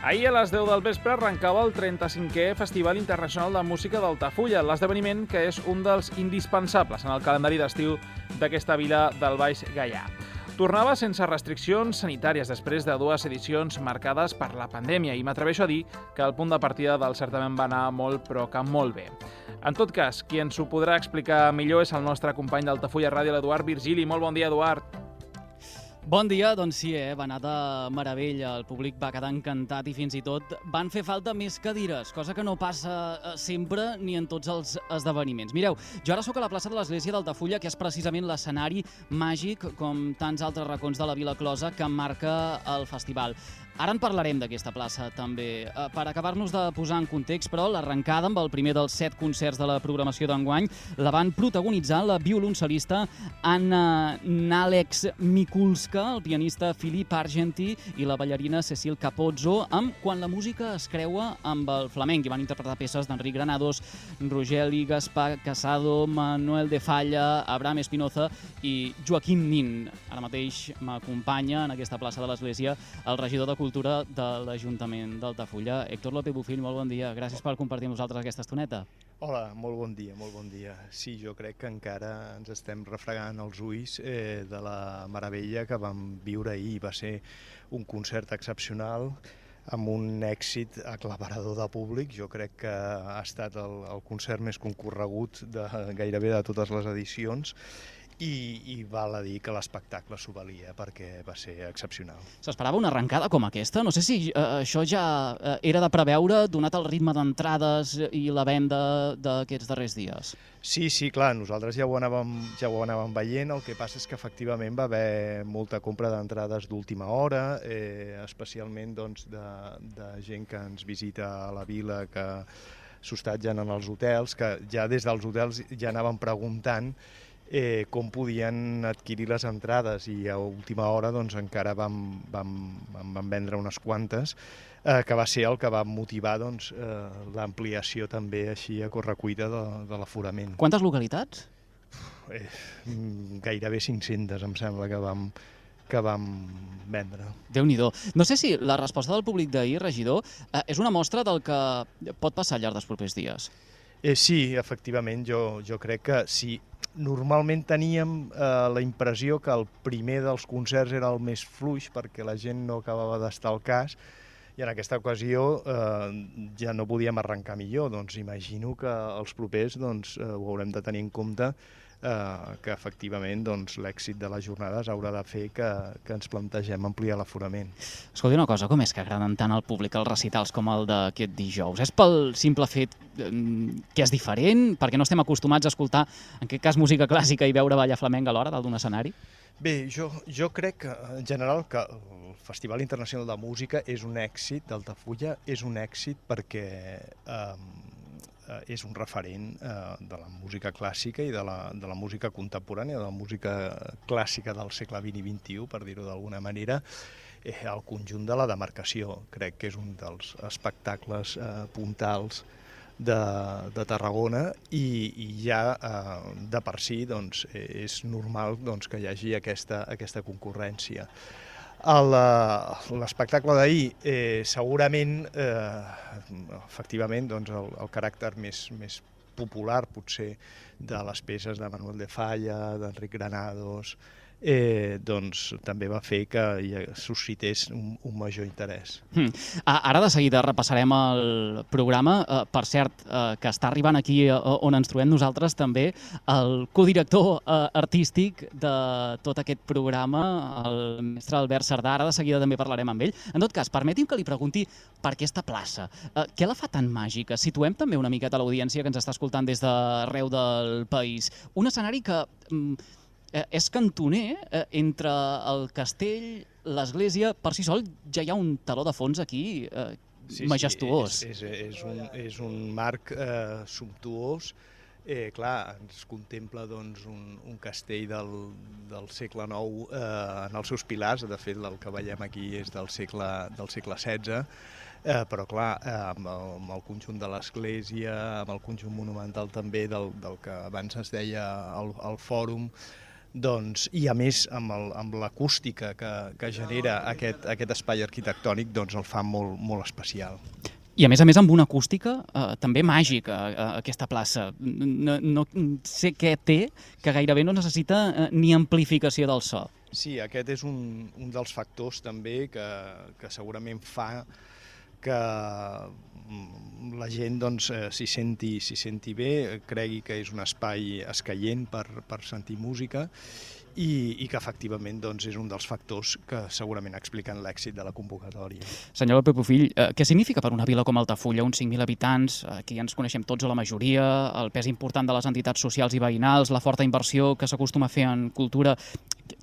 Ahir a les 10 del vespre arrencava el 35è Festival Internacional de Música d'Altafulla, l'esdeveniment que és un dels indispensables en el calendari d'estiu d'aquesta vila del Baix Gaià. Tornava sense restriccions sanitàries després de 2 edicions marcades per la pandèmia i m'atreveixo a dir que el punt de partida del certament va anar molt, però que molt bé. En tot cas, qui ens ho podrà explicar millor és el nostre company d'Altafulla Ràdio, l'Eduard Virgili. Molt bon dia, Eduard. Bon dia, doncs sí, va anar de meravella, el públic va quedar encantat i fins i tot van fer falta més cadires, cosa que no passa sempre ni en tots els esdeveniments. Mireu, jo ara sóc a la plaça de l'Església d'Altafulla, que és precisament l'escenari màgic, com tants altres racons de la Vila Closa, que marca el festival. Ara en parlarem d'aquesta plaça, també. Per acabar-nos de posar en context, però, l'arrencada amb el primer dels 7 concerts de la programació d'enguany la van protagonitzar la violoncel·lista Anna Nalex Mikulska, el pianista Filip Argenti i la ballarina Cecil Capozzo, amb Quan la música es creua amb el flamenc. I van interpretar peces d'Enric Granados, Rogeli, Gaspar Casado, Manuel de Falla, Abraham Espinoza i Joaquim Nin. Ara mateix m'acompanya en aquesta plaça de l'Església el regidor de Cultura de l'Ajuntament d'Altafulla, Héctor López Bufill. Molt bon dia. Gràcies per compartir amb nosaltres aquesta estoneta. Hola, molt bon dia, molt bon dia. Sí, jo crec que encara ens estem refregant els ulls de la meravella que vam viure ahir. Va ser un concert excepcional amb un èxit aclaparador de públic. Jo crec que ha estat el concert més concorregut gairebé de totes les edicions i val a dir que l'espectacle s'ho valia perquè va ser excepcional. S'esperava una arrencada com aquesta? No sé si això ja era de preveure, donat el ritme d'entrades i la venda d'aquests darrers dies. Sí, clar, nosaltres ja ho anàvem veient, el que passa és que efectivament va haver molta compra d'entrades d'última hora, especialment doncs, de gent que ens visita a la vila, que s'hostatgen en els hotels, que ja des dels hotels ja anaven preguntant com podien adquirir les entrades, i a última hora doncs, encara vam vendre unes quantes, que va ser el que va motivar doncs, l'ampliació també així a correcuita de l'aforament. Quantes localitats? Gairebé 500 em sembla que vam vendre. Déu-n'hi-do. No sé si la resposta del públic d'ahir, regidor, és una mostra del que pot passar al llarg dels propers dies. Sí, efectivament, jo crec que sí. Normalment teníem la impressió que el primer dels concerts era el més fluix perquè la gent no acabava d'estar al cas, i en aquesta ocasió ja no podíem arrencar millor. Doncs imagino que els propers ho haurem de tenir en compte, que efectivament l'èxit de les jornades haurà de fer que ens plantegem ampliar l'aforament. Escolti una cosa, com és que agraden tant al públic els recitals com el d'aquest dijous? És pel simple fet que és diferent? Perquè no estem acostumats a escoltar, en aquest cas, música clàssica i veure ballar flamenc alhora dalt d'un escenari? Bé, jo crec que, en general, que el Festival Internacional de Música és un èxit d'Altafulla, és un èxit perquè és un referent de la música clàssica i de la música contemporània, de la música clàssica del segle XX i XXI, per dir-ho d'alguna manera, al conjunt de la demarcació. Crec que és un dels espectacles puntals de Tarragona i ja de per si és normal que hi hagi aquesta concurrència. L'espectacle d'ahir, segurament, efectivament, el caràcter més popular, potser, de les peces de Manuel de Falla, d'Enric Granados, també va fer que suscités un major interès. Ara de seguida repassarem el programa. Per cert, que està arribant aquí on ens trobem nosaltres també el codirector artístic de tot aquest programa, el mestre Albert Cerdà. Ara de seguida també parlarem amb ell. En tot cas, permeti'm que li pregunti per aquesta plaça. Què la fa tan màgica? Situem també una miqueta l'audiència que ens està escoltant des d'arreu del país. Un escenari que és cantoner entre el castell, l'església. Per si sol ja hi ha un teló de fons aquí majestuós. És un marc sumptuós. Clar, ens contempla un castell del segle IX en els seus pilars. De fet, el que veiem aquí és del segle XVI. Però clar, amb el conjunt de l'església, amb el conjunt monumental també del que abans es deia el fòrum, I a més amb l'acústica que genera aquest espai arquitectònic, doncs el fa molt especial. I a més amb una acústica també màgica, aquesta plaça. No sé què té, que gairebé no necessita ni amplificació del so. Sí, aquest és un dels factors també que segurament fa que la gent s'hi senti bé, cregui que és un espai escaient per sentir música i que efectivament és un dels factors que segurament expliquen l'èxit de la convocatòria. Senyor López Bofill, què significa per una vila com Altafulla, uns 5.000 habitants, aquí ens coneixem tots o la majoria, el pes important de les entitats socials i veïnals, la forta inversió que s'acostuma a fer en cultura?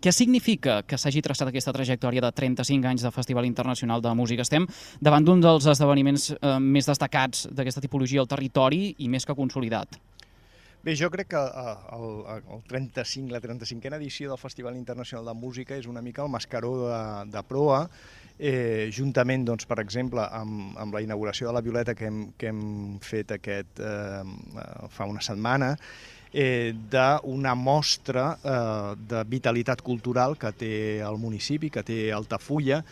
Què significa que s'hagi traçat aquesta trajectòria de 35 anys de Festival Internacional de Música? Estem davant d'un dels esdeveniments més destacats d'aquesta tipologia al territori i més que consolidat. Bé, jo crec que la 35a edició del Festival Internacional de Música és una mica el mascaró de proa, juntament, per exemple, amb la inauguració de la Violeta que hem fet fa una setmana, d'una mostra de vitalitat cultural que té el municipi, que té Altafulla,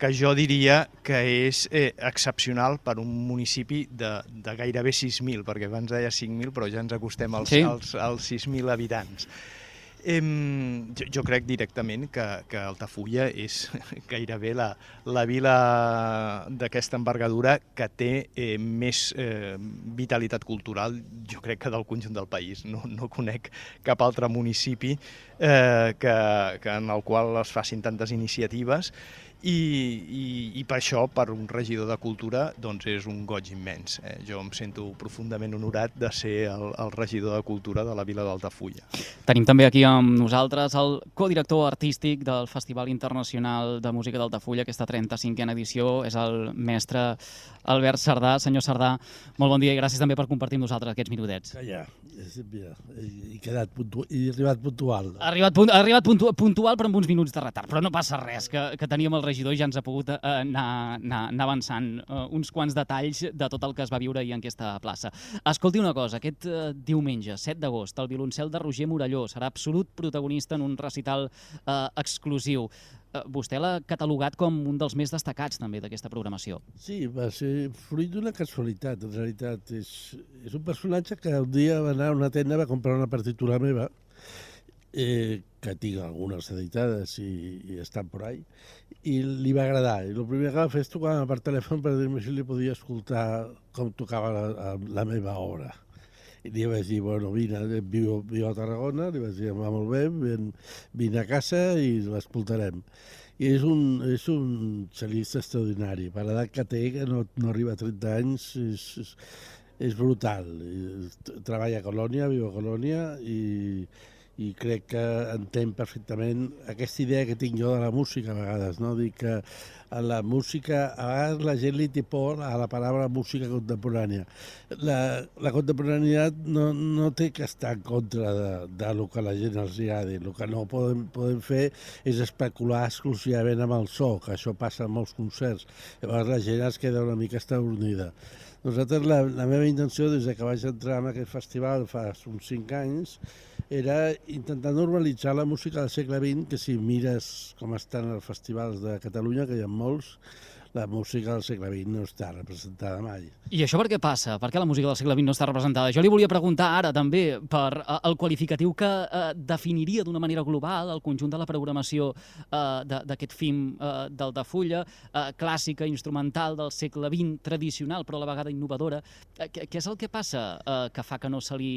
que jo diria que és excepcional per un municipi de gairebé 6.000, perquè abans deia 5.000, però ja ens acostem als 6.000 habitants. Jo crec directament que Altafulla és gairebé la vila d'aquesta envergadura que té més vitalitat cultural, jo crec que del conjunt del país. No conec cap altre municipi en el qual es facin tantes iniciatives i per això, per un regidor de cultura, és un goig immens. Jo em sento profundament honorat de ser el regidor de cultura de la vila d'Altafulla. Tenim també aquí amb nosaltres el codirector artístic del Festival Internacional de Música d'Altafulla, aquesta 35a edició, és el mestre Albert Sardà. Senyor Sardà, molt bon dia i gràcies també per compartir amb nosaltres aquests minutets. Ja, he arribat puntual. Ha arribat puntual però amb uns minuts de retard, però no passa res, que teníem el regidor i ja ens ha pogut anar avançant uns quants detalls de tot el que es va viure ahir en aquesta plaça. Escolti una cosa, aquest diumenge, 7 d'agost, el violoncel de Roger Morelló serà absolut protagonista en un recital exclusiu. Vostè l'ha catalogat com un dels més destacats també d'aquesta programació. Sí, va ser fruit d'una casualitat. En realitat és un personatge que un dia va anar a una tenda, va comprar una partitura meva, que tinc algunes editades i estan por ahí, i li va agradar. I el primer que va fer és tocar per telèfon per dir-me si li podia escoltar com tocava la meva obra. I li vaig dir, bueno, vine, viu a Tarragona, li vaig dir, va molt bé, vine a casa i l'escoltarem. I és un cel·lista extraordinari. Per l'edat que té, que no arriba a 30 anys, és brutal. Treballa a Colònia, viu a Colònia i crec que entén perfectament aquesta idea que tinc jo de la música a vegades, no? Dic que a la música, a vegades la gent li té por a la paraula música contemporània. La contemporaneïtat no té que estar en contra del que a la gent els agradi. El que no podem fer és especular exclusivament amb el so, que això passa en molts concerts. Llavors la gent es queda una mica estabornida. Nosaltres, la meva intenció, des que vaig entrar en aquest festival fa uns 5 anys, era intentar normalitzar la música del segle XX, que si mires com estan els festivals de Catalunya, que hi ha molts, la música del segle XX no està representada mai. I això per què passa? Per què la música del segle XX no està representada? Jo li volia preguntar ara també per el qualificatiu que definiria d'una manera global el conjunt de la programació d'aquest FIM d'Altafulla, clàssica, instrumental del segle XX, tradicional però a la vegada innovadora. Què és el que passa que fa que no se li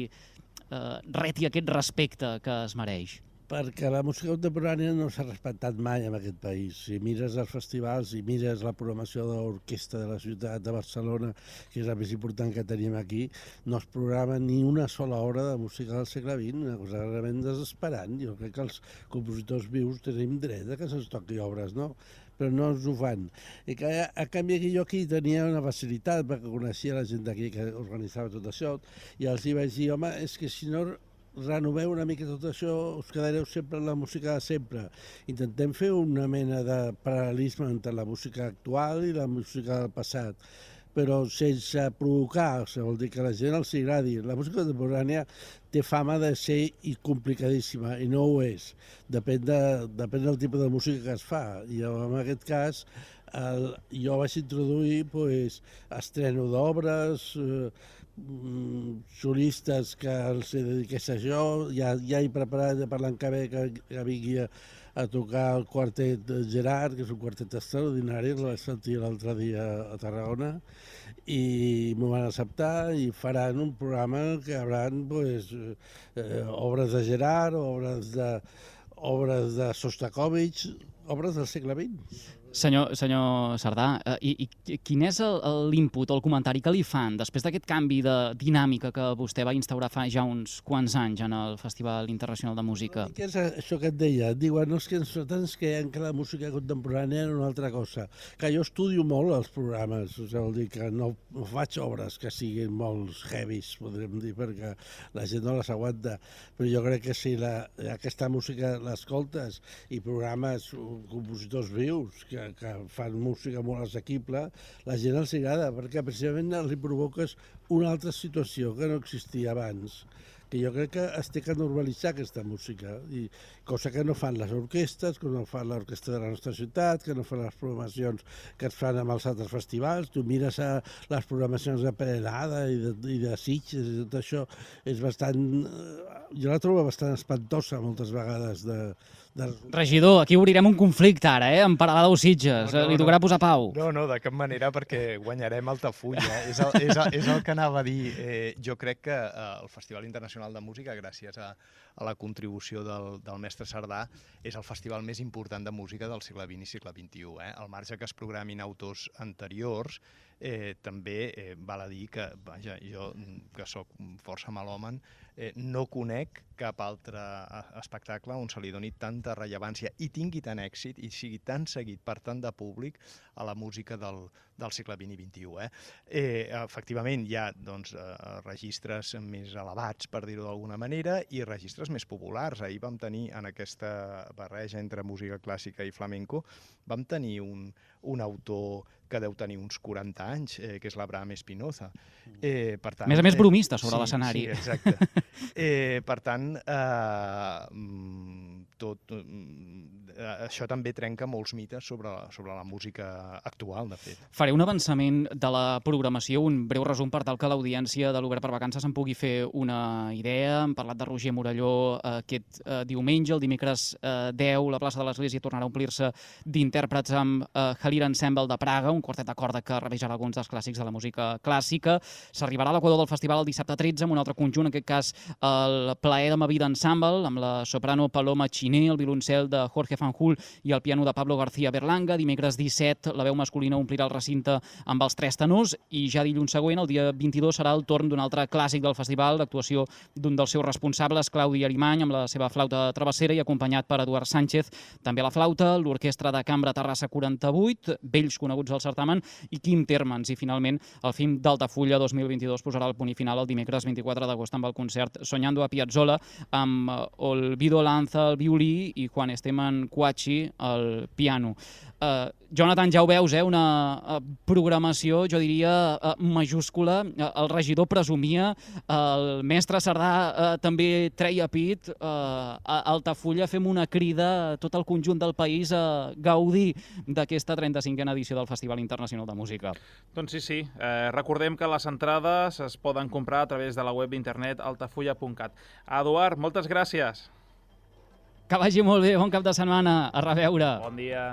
reti aquest respecte que es mereix? Perquè la música contemporània no s'ha respectat mai en aquest país. Si mires els festivals i mires la programació de l'orquestra de la ciutat de Barcelona, que és la més important que tenim aquí, no es programa ni una sola hora de música del segle XX, una cosa realment desesperant. Jo crec que els compositors vius tenim dret a que se'ns toqui obres, no? Però no ens ho fan. I que, a canvi, jo aquí tenia una facilitat, perquè coneixia la gent d'aquí que organitzava tot això, i els hi vaig dir, home, és que si no renoveu una mica tot això, us quedareu sempre en la música de sempre. Intentem fer una mena de paral·lelisme entre la música actual i la música del passat, però sense provocar, vol dir que a la gent els agradi. La música contemporània té fama de ser complicadíssima, i no ho és. Depèn del tipus de música que es fa. I en aquest cas, jo vaig introduir estreno d'obres, solistes que els dediqués a jo, ja he preparat per l'any que ve que vingui a tocar el quartet Gerard, que és un quartet extraordinari, el vaig sentir l'altre dia a Tarragona, i m'ho van acceptar i faran un programa que hi haurà obres de Gerard, obres de Sostakovich, obres del segle XX. Senyor Cerdà, i quin és l'input o el comentari que li fan després d'aquest canvi de dinàmica que vostè va instaurar fa ja uns quants anys en el Festival Internacional de Música? Què és això que et deia? Diuen, no, és que nosaltres creiem que la música contemporània era una altra cosa. Que jo estudio molt els programes, vol dir que no faig obres que siguin molt heavies, podríem dir, perquè la gent no les aguanta. Però jo crec que si aquesta música l'escoltes i programes, compositors vius, que fan música molt assequible, la gent els agrada, perquè precisament els provoques una altra situació que no existia abans, que jo crec que es té que normalitzar aquesta música, cosa que no fan les orquestres, que no fan l'orquestra de la nostra ciutat, que no fan les programacions que es fan amb els altres festivals. Tu mires les programacions de Perelada i de Sitges, i tot això és bastant... Jo la trobo bastant espantosa moltes vegades. Regidor, aquí obrirem un conflicte ara, amb Perelada o Sitges. Li tocarà posar pau. No, de cap manera, perquè guanyarem Altafulla. És el que anava a dir. Jo crec que el Festival Internacional de Música, gràcies a la contribució del mestre Cerdà, és el festival més important de música del segle XX i segle XXI. Al marge que es programin autors anteriors, també val a dir que, vaja, jo, que sóc força malòman, no conec cap altre espectacle on se li doni tanta rellevància i tingui tant èxit i sigui tan seguit per tant de públic a la música del segle XX i XXI. Efectivament, hi ha registres més elevats, per dir-ho d'alguna manera, i registres més populars. Ahir vam tenir, en aquesta barreja entre música clàssica i flamenco, vam tenir un autor que deu tenir uns 40 anys, que és l'Abraham Espinoza. A més bromista sobre l'escenari. Sí, exacte. Per tant, això també trenca molts mites sobre la música actual, de fet. Faré un avançament de la programació, un breu resum per tal que l'audiència de l'Obert per Vacances en pugui fer una idea. Hem parlat de Roger Morelló aquest diumenge, el dimecres 10, la plaça de l'Església tornarà a omplir-se d'intèrprets amb Halir Ensemble de Praga, un quartet de corda que revisarà alguns dels clàssics de la música clàssica. S'arribarà a l'equador del festival el dissabte 13 amb un altre conjunt, en aquest cas el Plaer de ma vida Ensemble, amb la soprano Paloma Chiné, el violoncel de Jorge Fanjul i el piano de Pablo García Berlanga. Dimecres 17, la veu masculina omplirà el recinte amb els 3 tenors i ja dilluns següent, el dia 22, serà el torn d'un altre clàssic del festival, l'actuació d'un dels seus responsables, Claudi Arimany, amb la seva flauta travessera i acompanyat per Eduard Sánchez, també a la flauta, l'Orquestra de Cambra Terrassa 48, vells coneguts al certamen, i Quim Termans. I finalment, el film d'Altafulla 2022 posarà el punt i final el dimecres 24 d'agost amb el concert Soñando a Piazzolla, amb Olvido Lanza al violí i Juan Esteban Cuachi al piano. Jonathan, ja ho veus, una programació, jo diria, majúscula. El regidor presumia, el mestre Cerdà també treia pit. A Altafulla fem una crida a tot el conjunt del país a gaudir d'aquesta 35a edició del Festival Internacional de Música. Doncs sí. Recordem que les entrades es poden comprar a través de la web d'internet altafulla.cat. Eduard, moltes gràcies. Que vagi molt bé, bon cap de setmana. A reveure. Bon dia.